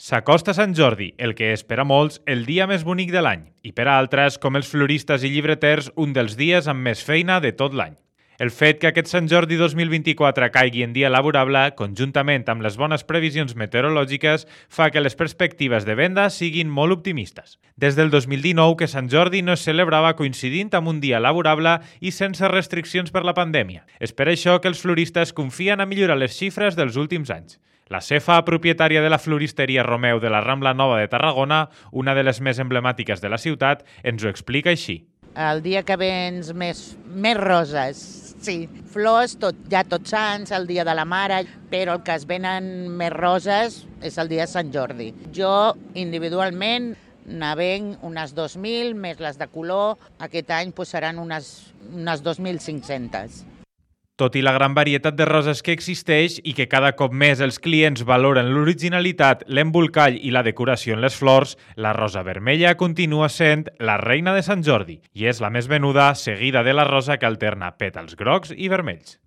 S'acosta Sant Jordi, el que és per a molts el dia més bonic de l'any, i per a altres, com els floristes i llibreters, un dels dies amb més feina de tot l'any. El fet que aquest Sant Jordi 2024 caigui en dia laborable, conjuntament amb les bones previsions meteorològiques, fa que les perspectives de venda siguin molt optimistes. Des del 2019 que Sant Jordi no es celebrava coincidint amb un dia laborable i sense restriccions per la pandèmia. És per això que els floristes confien a millorar les xifres dels últims anys. La Cefa, propietària de la floristeria Romeu de la Rambla Nova de Tarragona, una de les més emblemàtiques de la ciutat, ens ho explica així. El dia que vens més roses, sí. Flors, tots sants, el dia de la mare, però el que es venen més roses és el dia de Sant Jordi. Jo, individualment, n'avenc unes 2.000, més les de color. Aquest any seran unes 2.500. Tot i la gran varietat de roses que existeix i que cada cop més els clients valoren l'originalitat, l'embolcall i la decoració en les flors, la rosa vermella continua sent la reina de Sant Jordi i és la més venuda, seguida de la rosa que alterna pètals grocs i vermells.